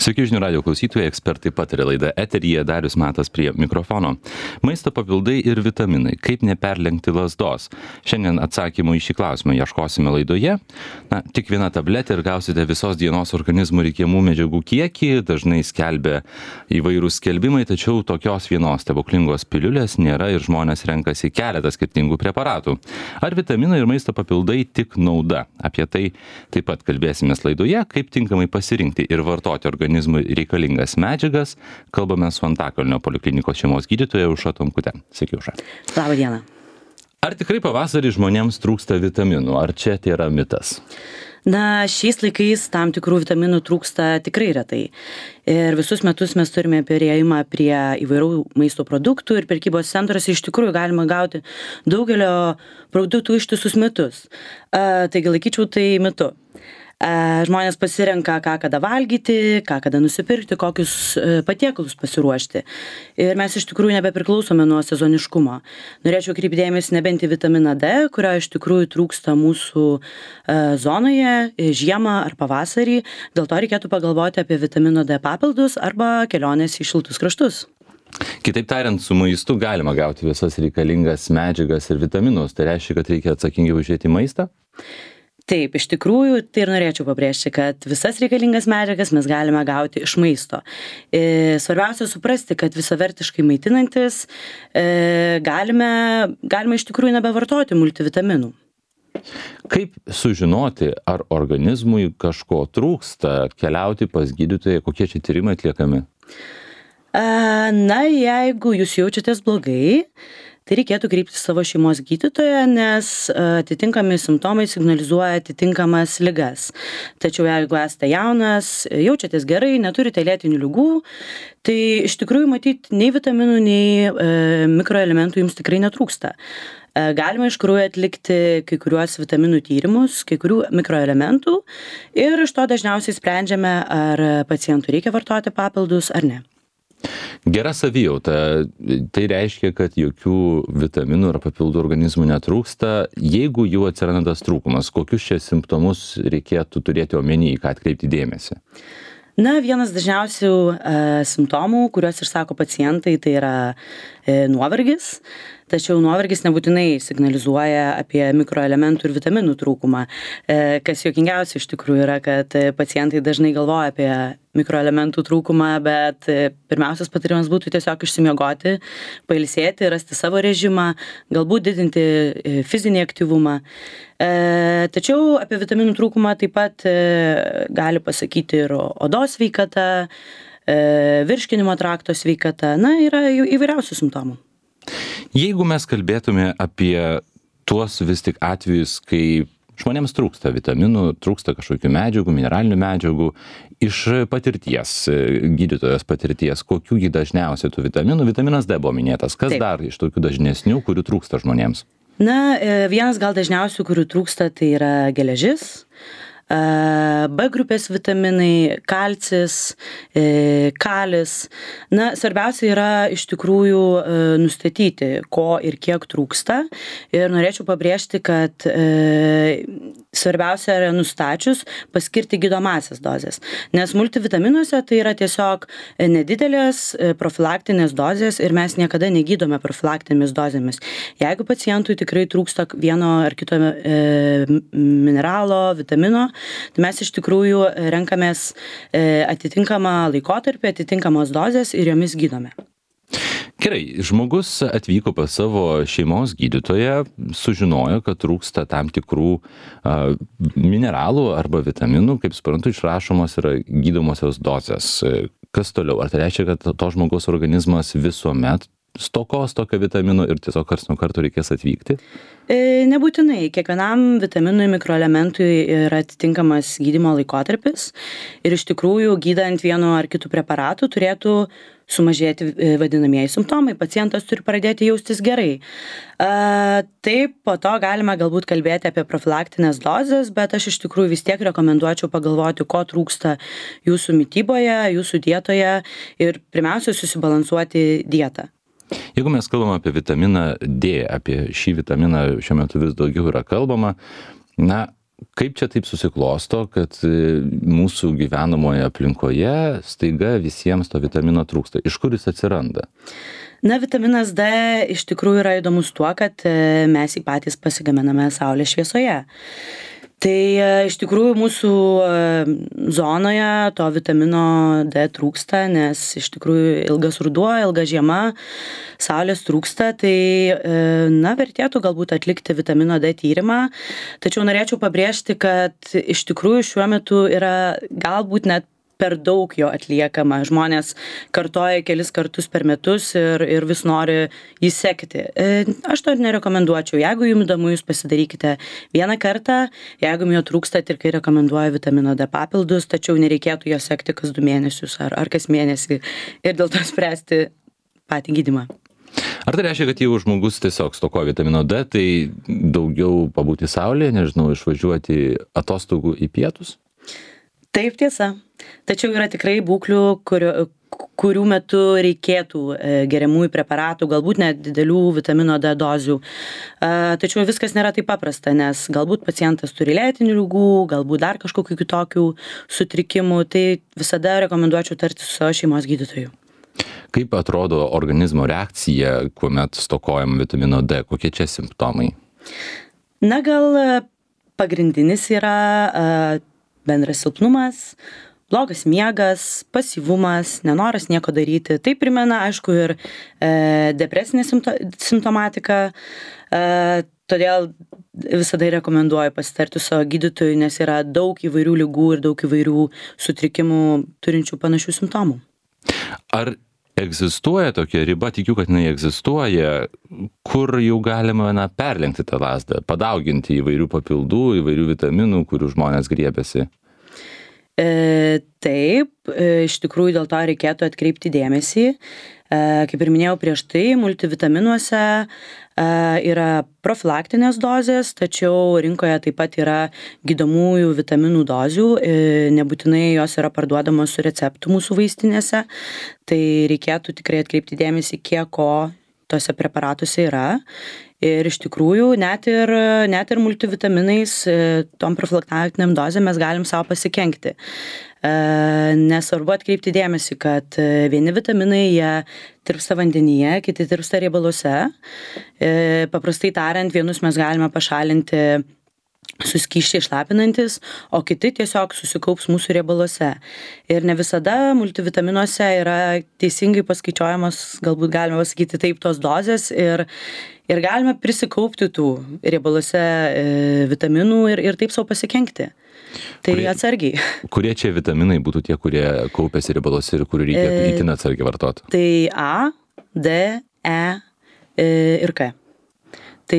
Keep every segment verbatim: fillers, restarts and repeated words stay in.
Sveiki žinių radijo klausytojai, ekspertai pataria laida eteryje, Darius Matas prie mikrofono. Maisto papildai ir vitaminai. Kaip neperlenkti lazdos? Šiandien atsakymų į šį klausimą ieškosime laidoje. Na, tik viena tabletė ir gausite visos dienos organizmų reikiamų medžiagų kiekį. Dažnai skelbia įvairūs skelbimai, tačiau tokios vienos stebuklingos piliulės nėra ir žmonės renkasi keletą skirtingų preparatų. Ar vitaminai ir maisto papildai tik nauda? Apie tai taip pat kalbėsimės laidoje, kaip tinkamai pasirinkti ir vartoti organizmų reikalingas medžiagas. Kalbame su Antakalnio poliklinikos šeimos gydytoja Aušra Tomkute. Sveiki, Aušra. Labą dieną. Ar tikrai pavasarį žmonėms trūksta vitaminų? Ar čia tai yra mitas? Na, šiais laikais tam tikrų vitaminų trūksta tikrai retai. Ir visus metus mes turime perėjimą prie įvairių maisto produktų ir prekybos centruose iš tikrųjų galima gauti daugelio produktų ištisus metus. A, taigi laikyčiau tai mitu. Žmonės pasirenka, ką kada valgyti, ką kada nusipirkti, kokius patiekalus pasiruošti. Ir mes iš tikrųjų nebepriklausome nuo sezoniškumo. Norėčiau kreipti dėmesį nebent į vitaminą D, kurio iš tikrųjų trūksta mūsų zonoje žiemą ar pavasarį. Dėl to reikėtų pagalvoti apie vitamino D papildus arba kelionės į šiltus kraštus. Kitaip tariant, su maistu galima gauti visas reikalingas medžiagas ir vitaminus. Tai reiškia, kad reikia atsakingai užžiūrėti maistą? Taip, iš tikrųjų, tai ir norėčiau pabrėžti, kad visas reikalingas medžiagas mes galime gauti iš maisto. Svarbiausia suprasti, kad visavertiškai maitinantis galime, galime iš tikrųjų nebevartoti multivitaminų. Kaip sužinoti, ar organizmui kažko trūksta, keliauti pas gydytoją, kokie čia tyrimai atliekami? Na, jeigu jūs jaučiatės blogai, tai reikėtų kreiptis savo šeimos gydytoją, nes atitinkami simptomai signalizuoja atitinkamas ligas. Tačiau jeigu esate jaunas, jaučiatės gerai, neturite lėtinių ligų, tai iš tikrųjų matyti nei vitaminų, nei e, mikroelementų jums tikrai netrūksta. E, galima iš tikrųjų atlikti kai kuriuos vitaminų tyrimus, kai kurių mikroelementų ir iš to dažniausiai sprendžiame, ar pacientui reikia vartoti papildus ar ne. Gera savijauta, tai reiškia, kad jokių vitaminų ar papildų organizmų netrūksta. Jeigu jų atsiranda tas trūkumas, kokius čia simptomus reikėtų turėti omeny, ką atkreipti dėmesį? Na, vienas dažniausių e, simptomų, kuriuos išsako pacientai, tai yra e, nuovargis. Tačiau nuovargis nebūtinai signalizuoja apie mikroelementų ir vitaminų trūkumą. E, kas juokingiausia iš tikrųjų yra, kad pacientai dažnai galvoja apie mikroelementų trūkumą, bet pirmiausias patarimas būtų tiesiog išsimiegoti, pailsėti, rasti savo režimą, galbūt didinti fizinį aktyvumą. E, tačiau apie vitaminų trūkumą taip pat e, gali pasakyti ir odos sveikata, e, virškinimo trakto sveikata, na, yra įvairiausių simptomų. Jeigu mes kalbėtume apie tuos vis tik atvejus, kai žmonėms trūksta vitaminų, trūksta kažkokių medžiagų, mineralinių medžiagų, iš patirties, gydytojos patirties, kokių jį dažniausiai tų vitaminų, vitaminas D buvo minėtas, kas Taip. dar iš tokių dažnesnių, kurių trūksta žmonėms? Na, vienas gal dažniausių, kurių trūksta, tai yra geležis, B grupės vitaminai, kalcis, kalis. Na, svarbiausia yra iš tikrųjų nustatyti, ko ir kiek trūksta. Ir norėčiau pabrėžti, kad e, svarbiausia yra nustačius paskirti gydomąsias dozes. Nes multivitaminuose tai yra tiesiog nedidelės profilaktinės dozės ir mes niekada negydome profilaktinėmis dozėmis. Jeigu pacientui tikrai trūksta vieno ar kito e, mineralo, vitamino, tai mes iš tikrųjų renkamės atitinkamą laikotarpį, atitinkamos dozės ir jomis gydome. Gerai, žmogus atvyko pas savo šeimos gydytoją, sužinojo, kad trūksta tam tikrų a, mineralų arba vitaminų, kaip suprantu, išrašomos yra gydomosios dozės. Kas toliau? Ar tai reiškia, kad to žmogaus organizmas visuomet stokos tokio vitamino ir tiesiog karts nuo karto reikės atvykti? E, nebūtinai. Kiekvienam vitaminui, mikroelementui yra atitinkamas gydymo laikotarpis ir iš tikrųjų gydant vienu ar kitų preparatų turėtų sumažėti vadinamieji simptomai. Pacientas turi pradėti jaustis gerai. E, taip, po to galime galbūt kalbėti apie profilaktinės dozes, bet aš iš tikrųjų vis tiek rekomenduočiau pagalvoti, ko trūksta jūsų mityboje, jūsų dietoje ir pirmiausia susibalansuoti dietą. Jeigu mes kalbam apie vitaminą D, apie šį vitaminą šiuo metu vis daugiau yra kalbama, na, kaip čia taip susiklosto, kad mūsų gyvenamoje aplinkoje staiga visiems to vitamino trūksta? Iš kur jis atsiranda? Na, vitaminas D iš tikrųjų yra įdomus tuo, kad mes jį patys pasigaminame saulės šviesoje. Tai iš tikrųjų mūsų zonoje to vitamino D trūksta, nes iš tikrųjų ilgas ruduo, ilga žiema, saulės trūksta, tai na, vertėtų galbūt atlikti vitamino D tyrimą. Tačiau norėčiau pabrėžti, kad iš tikrųjų šiuo metu yra galbūt net per daug jo atliekama. Žmonės kartoja kelis kartus per metus ir, ir vis nori jį sekti. Aš to nerekomenduočiau. Jeigu jums įdomu, jūs pasidarykite vieną kartą. Jeigu jums jo trūksta, tikrai rekomenduoju vitamino D papildus, tačiau nereikėtų jo sekti kas du mėnesius ar, ar kas mėnesį ir dėl to spręsti patį gydymą. Ar tai reiškia, kad jeigu žmogus tiesiog stokoja vitamino D, tai daugiau pabūti saulėje, nežinau, išvažiuoti atostogų į pietus? Taip, tiesa. Tačiau yra tikrai būklių, kurių, kurių metu reikėtų geriamųjų preparatų, galbūt net didelių vitamino D dozių. Tačiau viskas nėra taip paprasta, nes galbūt pacientas turi lėtinių ligų, galbūt dar kažkokių kitokių sutrikimų, tai visada rekomenduočiau tartis su savo šeimos gydytoju. Kaip atrodo organizmo reakcija, kuomet stokojam vitamino D? Kokie čia simptomai? Na, gal pagrindinis yra bendras silpnumas, blogas miegas, pasyvumas, nenoras nieko daryti. Tai primena, aišku, ir e, depresinė simpto, simptomatika, e, todėl visada rekomenduoju pasitarti su savo gydytoju, nes yra daug įvairių ligų ir daug įvairių sutrikimų turinčių panašių simptomų. Ar egzistuoja tokia riba, tikiu, kad jinai egzistuoja, kur jau galima na, perlenkti tą lazdą, padauginti įvairių papildų, įvairių vitaminų, kurių žmonės griebiasi? E, taip, e, iš tikrųjų dėl to reikėtų atkreipti dėmesį. E, kaip ir minėjau prieš tai, multivitaminuose e, yra profilaktinės dozės, tačiau rinkoje taip pat yra gydomųjų vitaminų dozių, e, nebūtinai jos yra parduodamos su receptu mūsų vaistinėse, tai reikėtų tikrai atkreipti dėmesį, kiek ko tose preparatuose yra. Ir iš tikrųjų net ir, net ir multivitaminais, tom profilaktiniam dozėm mes galim savo pasikenkti. Nesvarbu atkreipti dėmesį, kad vieni vitaminai jie tirpsta vandenyje, kiti tirpsta riebaluose. Paprastai tariant, vienus mes galime pašalinti su skysčiai šlapinantis, o kiti tiesiog susikaups mūsų riebaluose. Ir ne visada multivitaminuose yra teisingai paskaičiuojamos, galbūt galima pasakyti taip, tos dozės ir, ir galime prisikaupti tų riebaluose e, vitaminų ir, ir taip savo pasikenkti. Tai kurie, atsargiai. Kurie čia vitaminai būtų tie, kurie kaupiasi riebaluose ir kurių reikia e, itin atsargiai vartoti? Tai A, D, E, e ir K. Tai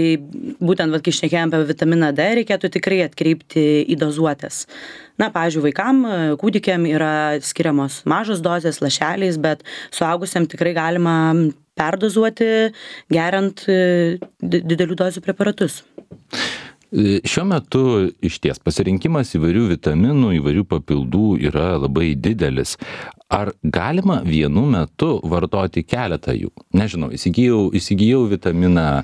būtent, vat, kai šnekėjom apie vitaminą D, reikėtų tikrai atkreipti į dozuotės. Na, pavyzdžiui, vaikam, kūdikiam yra skiriamos mažos dozės lašeliais, bet suaugusiam tikrai galima perdozuoti, geriant didelių dozių preparatus. Šiuo metu išties pasirinkimas įvairių vitaminų, įvairių papildų yra labai didelis. Ar galima vienu metu vartoti keletą jų? Nežinau, įsigijau, įsigijau vitaminą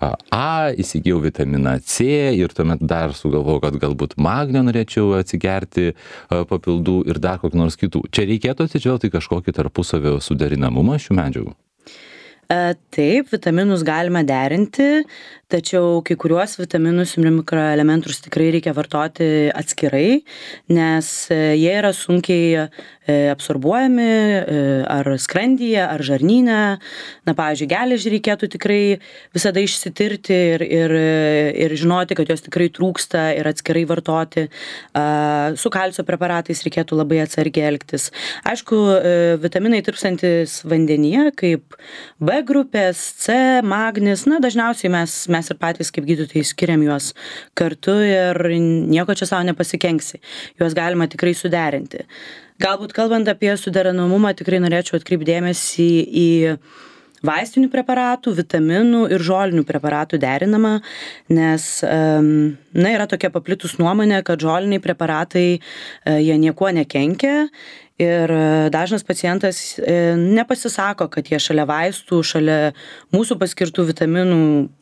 A, įsigijau vitaminą C ir tuomet dar sugalvojau, kad galbūt magnio norėčiau atsigerti papildų ir dar kokį nors kitų. Čia reikėtų atsižvelgti kažkokį tarpusavio suderinamumą šių medžiagų? Taip, vitaminus galima derinti, tačiau kai kuriuos vitaminus ir mikroelementus tikrai reikia vartoti atskirai, nes jie yra sunkiai absorbuojami ar skrandyje, ar žarnyne. Na, pavyzdžiui, geležį reikėtų tikrai visada išsitirti ir, ir, ir žinoti, kad jos tikrai trūksta ir atskirai vartoti. Su kalcio preparatais reikėtų labai atsargiai elgtis. Aišku, vitaminai tirpstantis vandenyje, kaip B grupės, C, magnis, na, dažniausiai mes, mes ir patys kaip gydytojai skiriam juos kartu ir nieko čia savo nepasikenksi. Juos galima tikrai suderinti. Galbūt kalbant apie suderinamumą, tikrai norėčiau atkreipti dėmesį į vaistinių preparatų, vitaminų ir žolinių preparatų derinamą, nes na, yra tokia paplitus nuomonė, kad žoliniai preparatai jie niekuo nekenkia Ir e, dažnas pacientas e, nepasisako, kad jie šalia vaistų, šalia mūsų paskirtų vitaminų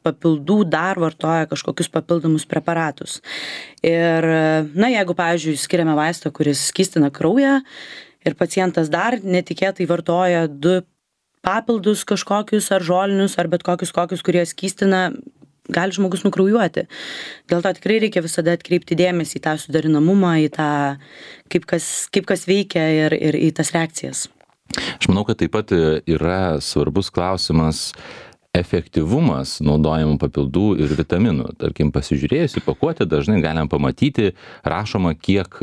papildų dar vartoja kažkokius papildomus preparatus. Ir, e, na, jeigu, pavyzdžiui, skiriame vaistą, kuris skystina kraują ir pacientas dar netikėtai vartoja du papildus kažkokius ar žolinius, ar bet kokius kokius, kurie skystina, gali žmogus nukraujuoti. Dėl to tikrai reikia visada atkreipti dėmesį į tą sudarinamumą, į tą, kaip kas, kaip kas veikia ir, ir į tas reakcijas. Aš manau, kad taip pat yra svarbus klausimas efektyvumas naudojamų papildų ir vitaminų. Tarkim, pasižiūrėjus į pakuotę, dažnai galim pamatyti, rašoma, kiek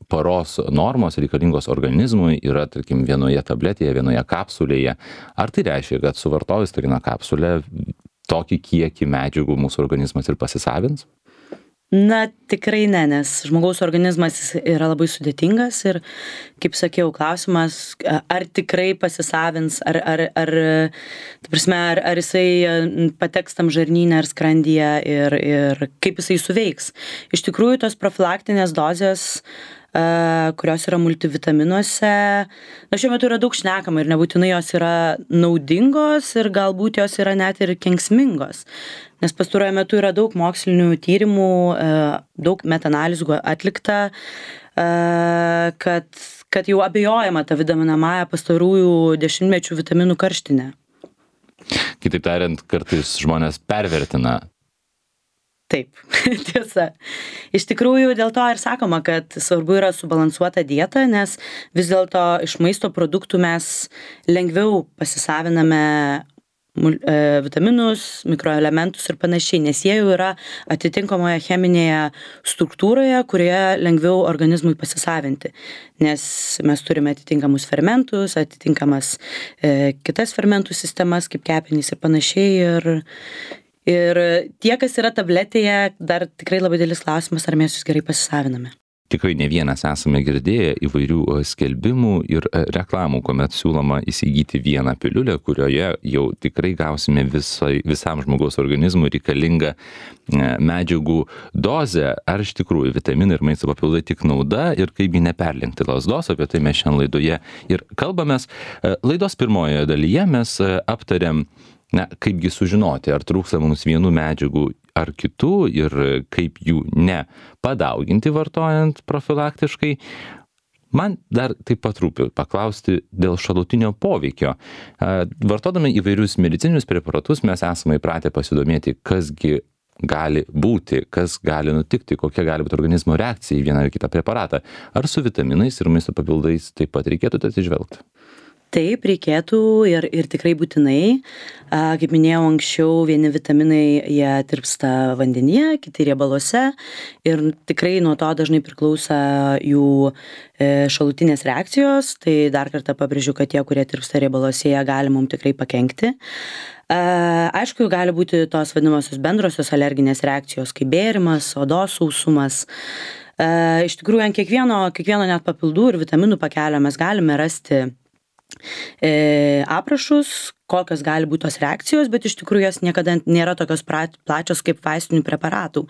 paros normos reikalingos organizmui yra, tarkim, vienoje tabletėje, vienoje kapsulėje. Ar tai reiškia, kad suvartojus tokią kapsulę, tokį kiekį medžiagų mūsų organizmas ir pasisavins? Na, tikrai ne, nes žmogaus organizmas yra labai sudėtingas ir, kaip sakiau, klausimas, ar tikrai pasisavins, ar, ar, ar, ta prasme, ar, ar jisai pateks tam žarnyne ar skrandyje ir, ir kaip jisai suveiks. Iš tikrųjų, tos profilaktinės dozės, kurios yra multivitaminuose. Na, šiuo metu yra daug šnekama ir nebūtinai jos yra naudingos ir galbūt jos yra net ir kenksmingos. Nes pastaruoju metu yra daug mokslinių tyrimų, daug metaanalizų atlikta, kad, kad jau abejojama ta vadinamąja pastarųjų dešimtmečių vitaminų karštinė. Kitaip tariant, kartais žmonės pervertina. Taip, tiesa. Iš tikrųjų, dėl to ir sakoma, kad svarbu yra subalansuota dieta, nes vis dėlto iš maisto produktų mes lengviau pasisaviname vitaminus, mikroelementus ir panašiai, nes jie jau yra atitinkamoje cheminėje struktūroje, kurioje lengviau organizmui pasisavinti. Nes mes turime atitinkamus fermentus, atitinkamas e, kitas fermentų sistemas, kaip kepenys ir panašiai. Ir, Ir tie, kas yra tabletėje, dar tikrai labai didelis klausimas, ar mes jūs gerai pasisaviname. Tikrai ne vienas esame girdėję įvairių skelbimų ir reklamų, kuomet siūloma įsigyti vieną piliulę, kurioje jau tikrai gausime visai, visam žmogaus organizmui reikalingą medžiagų dozę. Ar iš tikrųjų vitaminai ir maisto papildai tik nauda ir kaipgi neperlenkti lazdos, apie tai mes šiandien laidoje ir kalbamės. Laidos pirmojoje dalyje mes aptarėm, na, kaipgi sužinoti, ar trūksta mums vienų medžiagų ar kitų ir kaip jų nepadauginti vartojant profilaktiškai. Man dar taip pat rūpi paklausti dėl šalutinio poveikio. Vartodami įvairius medicininius preparatus mes esame įpratę pasidomėti, kasgi gali būti, kas gali nutikti, kokia gali būti organizmo reakcija į vieną ar kitą preparatą. Ar su vitaminais ir maisto papildais taip pat reikėtų atsižvelgti? Taip, reikėtų ir, ir tikrai būtinai. A, kaip minėjau anksčiau, vieni vitaminai jie tirpsta vandenyje, kiti riebaluose ir tikrai nuo to dažnai priklauso jų e, šalutinės reakcijos. Tai dar kartą pabrėžiu, kad tie, kurie tirpsta riebaluose, jie gali mums tikrai pakenkti. A, aišku, gali būti tos vadinamosios bendrosios alerginės reakcijos, kaip bėrimas, odos sausumas. A, iš tikrųjų, ant kiekvieno, kiekvieno net papildų ir vitaminų pakelio mes galime rasti E, aprašus, kokios gali būti tos reakcijos, bet iš tikrųjų jos niekada nėra tokios plačios kaip vaistinių preparatų.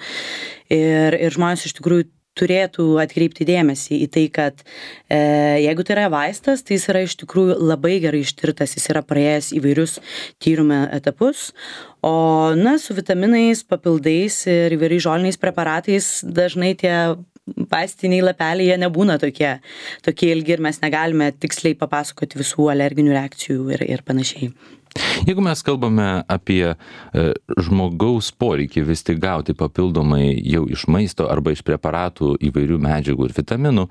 Ir, ir žmonės iš tikrųjų turėtų atkreipti dėmesį į tai, kad e, jeigu tai yra vaistas, tai jis yra iš tikrųjų labai gerai ištirtas, jis yra praėjęs įvairius tyrimų etapus, o na, su vitaminais, papildais ir įvairiais žoliniais preparatais dažnai tie vaistiniai lapeliai jie nebūna tokie, tokie ilgi ir mes negalime tiksliai papasakoti visų alerginių reakcijų ir, ir panašiai. Jeigu mes kalbame apie e, žmogaus poreikį vis tik gauti papildomai jau iš maisto arba iš preparatų įvairių medžiagų ir vitaminų,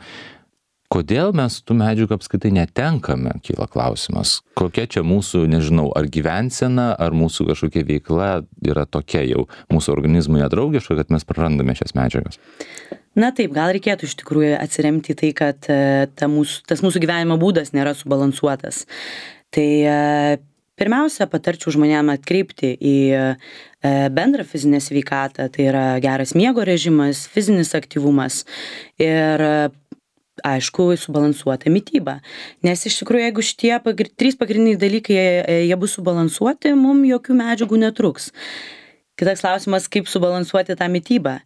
kodėl mes tų medžiagų apskritai netenkame, kyla klausimas. Kokia čia mūsų, nežinau, ar gyvensena, ar mūsų kažkokia veikla yra tokia jau mūsų organizmui nedraugiška, kad mes prarandame šias medžiagas? Na taip, gal reikėtų iš tikrųjų atsiremti į tai, kad ta mūsų, tas mūsų gyvenimo būdas nėra subalansuotas. Tai pirmiausia, patarčiau žmonėms atkreipti į bendrą fizinę sveikatą, tai yra geras miego režimas, fizinis aktyvumas ir aišku, subalansuota mityba. Nes iš tikrųjų, jeigu šitie pagr... trys pagrindiniai dalykai jie bus subalansuoti, mums jokių medžiagų netruks. Kitas klausimas, kaip subalansuoti tą mitybą.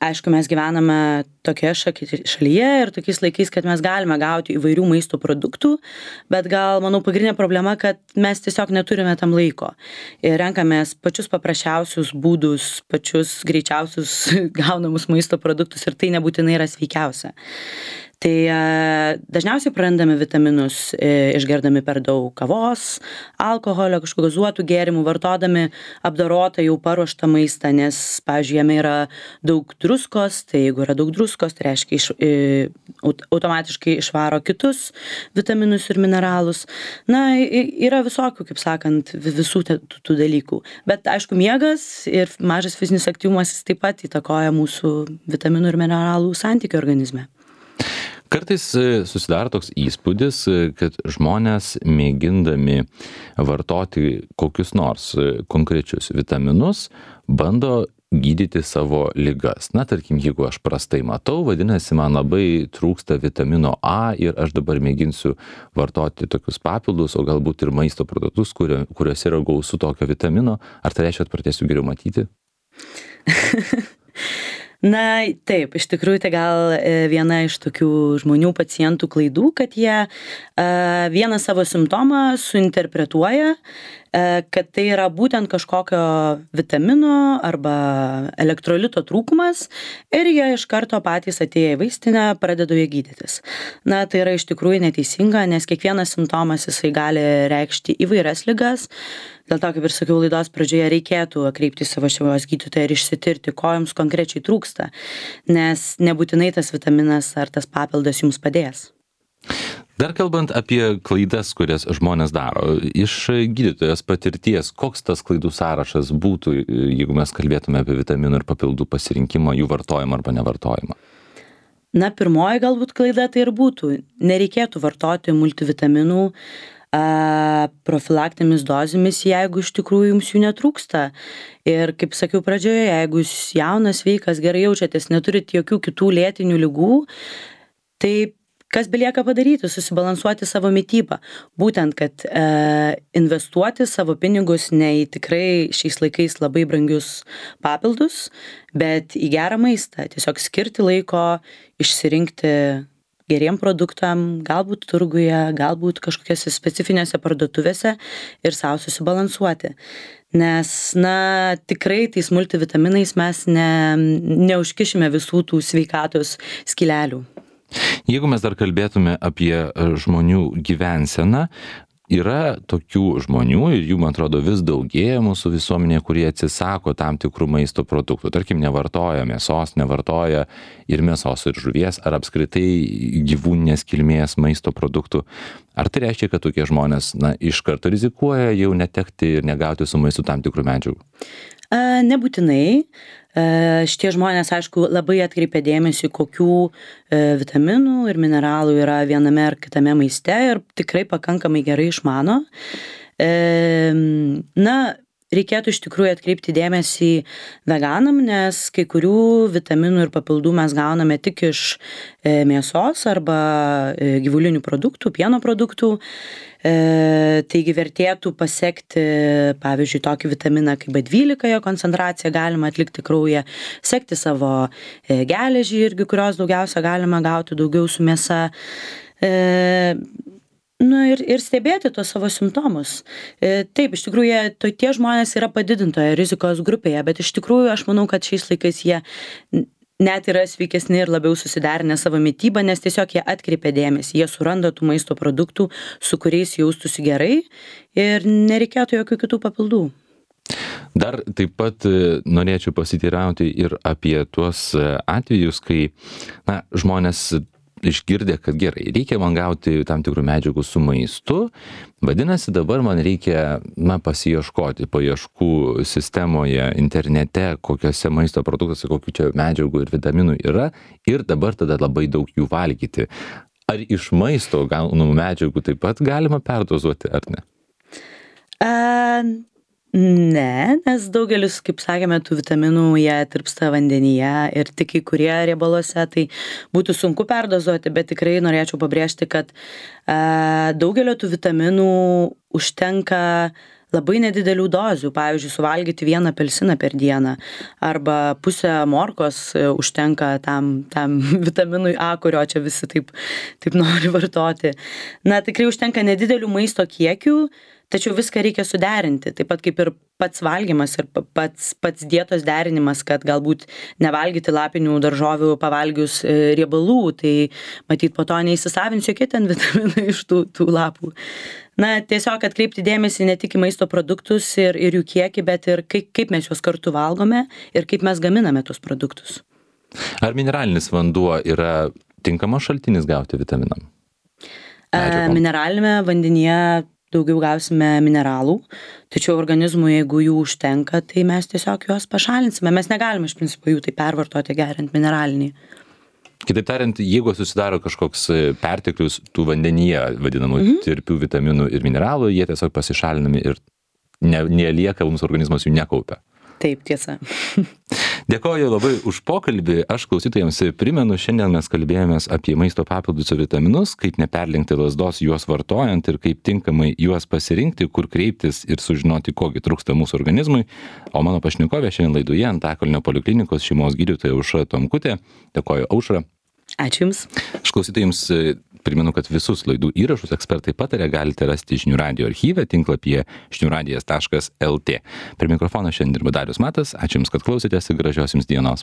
Aišku, mes gyvename tokioje šaki- šalyje ir tokiais laikais, kad mes galime gauti įvairių maisto produktų, bet gal, manau, pagrindinė problema, kad mes tiesiog neturime tam laiko. Ir renkamės pačius paprasčiausius būdus, pačius greičiausius gaunamus maisto produktus ir tai nebūtinai yra sveikiausia. Tai e, dažniausiai prarandame vitaminus e, išgerdami per daug kavos, alkoholio, kažkokių gazuotų gėrimų, vartodami apdorotą jau paruoštą maistą, nes, pavyzdžiui, jame yra daug druskos, tai jeigu yra daug druskos, tai reiškia iš, e, aut, automatiškai išvaro kitus vitaminus ir mineralus. Na, i- yra visokių, kaip sakant, vi- visų te- tų, tų dalykų. Bet, aišku, miegas ir mažas fizinis aktyvumas jis taip pat įtakoja mūsų vitaminų ir mineralų santykį organizme. Kartais e, susidaro toks įspūdis, e, kad žmonės mėgindami vartoti kokius nors e, konkrečius vitaminus, bando gydyti savo ligas. Na, tarkim, jeigu aš prastai matau, vadinasi, man labai trūksta vitamino A ir aš dabar mėginsiu vartoti tokius papildus, o galbūt ir maisto produktus, kurio, kuriuose yra gausu tokio vitamino. Ar tai reiškia, kad pradėsiu geriau matyti? Na, taip, iš tikrųjų tai gal e, viena iš tokių žmonių pacientų klaidų, kad jie e, vieną savo simptomą suinterpretuoja, e, kad tai yra būtent kažkokio vitamino arba elektrolito trūkumas ir jie iš karto patys atėję į vaistinę pradeda jie gydytis. Na, tai yra iš tikrųjų neteisinga, nes kiekvienas simptomas jisai gali reikšti įvairias ligas. Dėl to, kaip ir sakiau laidos pradžioje, reikėtų kreiptis į savo šeimos gydytoją ir išsitirti, ko jums konkrečiai trūksta, nes nebūtinai tas vitaminas ar tas papildas jums padės. Dar kalbant apie klaidas, kurias žmonės daro, iš gydytojos patirties, koks tas klaidų sąrašas būtų, jeigu mes kalbėtume apie vitaminų ir papildų pasirinkimą, jų vartojimą arba nevartojimą? Na, pirmoji galbūt klaida tai ir būtų. Nereikėtų vartoti multivitaminų a, profilaktėmis dozėmis, jeigu iš tikrųjų jums jų netrūksta. Ir kaip sakiau pradžioje, jeigu jūs jaunas, sveikas, gerai jaučiatės, neturit jokių kitų lėtinių ligų, tai kas belieka padaryti? Susibalansuoti savo mitybą. Būtent, kad e, investuoti savo pinigus ne į tikrai šiais laikais labai brangius papildus, bet į gerą maistą. Tiesiog skirti laiko, išsirinkti geriem produktam, galbūt turguje, galbūt kažkokiose specifinėse parduotuvėse ir savo susibalansuoti. Nes, na, tikrai tais multivitaminais mes ne, neužkišime visų tų sveikatos skylelių. Jeigu mes dar kalbėtume apie žmonių gyvenseną, yra tokių žmonių ir jų, man atrodo, vis daugėja mūsų visuomenėje, kurie atsisako tam tikrų maisto produktų. Tarkim, nevartoja mėsos, nevartoja ir mėsos ir žuvies, ar apskritai gyvūninės kilmės maisto produktų. Ar tai reiškia, kad tokie žmonės, na, iš karto rizikuoja jau netekti ir negauti su maistu tam tikrų medžiagų? A, nebūtinai. A, šitie žmonės, aišku, labai atkreipia dėmesį, kokių e, vitaminų ir mineralų yra viename ar kitame maiste ir tikrai pakankamai gerai išmano. E, na, reikėtų iš tikrųjų atkreipti dėmesį veganam, nes kai kurių vitaminų ir papildų mes gauname tik iš e, mėsos arba e, gyvulinių produktų, pieno produktų. E, taigi vertėtų pasekti, pavyzdžiui, tokį vitaminą kaip B dvylika, jo koncentraciją galima atlikti kraujyje, sekti savo e, geležį irgi, kurios daugiausia galima gauti daugiau su mėsa. E, nu, ir, ir stebėti tos savo simptomus. E, taip, iš tikrųjų, jie, to, tie žmonės yra padidintoje rizikos grupėje, bet iš tikrųjų aš manau, kad šiais laikais jie net yra sveikesni ir labiau susiderinę savo mitybą, nes tiesiog jie atkreipia dėmesį, jie suranda tų maisto produktų, su kuriais jaustųsi gerai ir nereikėtų jokių kitų papildų. Dar taip pat norėčiau pasiteirauti ir apie tuos atvejus, kai, na, žmonės išgirdė, kad gerai, reikia man gauti tam tikrų medžiagų su maistu, vadinasi, dabar man reikia, na, pasiieškoti paieškų sistemoje, internete, kokiuose maisto produktuose, kokių čia medžiagų ir vitaminų yra ir dabar tada labai daug jų valgyti. Ar iš maisto gaunamų medžiagų taip pat galima perdozuoti, ar ne? A, ne, nes daugelis, kaip sakėme, tų vitaminų jie tirpsta vandenyje ir tik kai kurie riebaluose, tai būtų sunku perdozuoti, bet tikrai norėčiau pabrėžti, kad a, daugelio tų vitaminų užtenka labai nedidelių dozių, pavyzdžiui, suvalgyti vieną apelsiną per dieną arba pusę morkos užtenka tam, tam vitaminui A, kurio čia visi taip, taip nori vartoti. Na, tikrai užtenka nedidelių maisto kiekių, tačiau viską reikia suderinti, taip pat kaip ir pats valgymas ir pats, pats dietos derinimas, kad galbūt nevalgyti lapinių daržovių pavalgius riebalų, tai matyt po to neįsisavins jokie ten vitaminai iš tų, tų lapų. Na, tiesiog atkreipti dėmesį ne tik į maisto produktus ir, ir jų kiekį, bet ir kaip, kaip mes juos kartu valgome ir kaip mes gaminame tus produktus. Ar mineralinis vanduo yra tinkamas šaltinis gauti vitaminam? Medžiagom. Mineralinėme vandenyje daugiau gausime mineralų, tačiau organizmui, jeigu jų užtenka, tai mes tiesiog juos pašalinsime. Mes negalime iš principo jų tai pervartoti geriant mineralinį. Kitaip tariant, jeigu susidaro kažkoks perteklius tų vandenyje vadinamų mhm. tirpių vitaminų ir mineralų, jie tiesiog pasišalinami ir ne, nelieka, mums organizmas jų nekaupia. Taip, tiesa. Dėkoju labai už pokalbį. Aš klausytojams primenu, šiandien mes kalbėjomės apie maisto papildus ir vitaminus, kaip neperlenkti lazdos juos vartojant ir kaip tinkamai juos pasirinkti, kur kreiptis ir sužinoti, kogi trūksta mūsų organizmui. O mano pašnekovė šiandien laidoje Antakalnio poliklinikos šeimos gydytoja Aušra Tomkutė. Dėkoju, Aušra. Ačiū Jums. Aš klausytojams primenu, kad visus laidų įrašus Ekspertai pataria galite rasti žinių radijo archyve tinklapyje žinių radijas taškas el tė. Per mikrofoną šiandien dirba Darius Matas. Ačiū Jums, kad klausėtės ir gražios Jums dienos.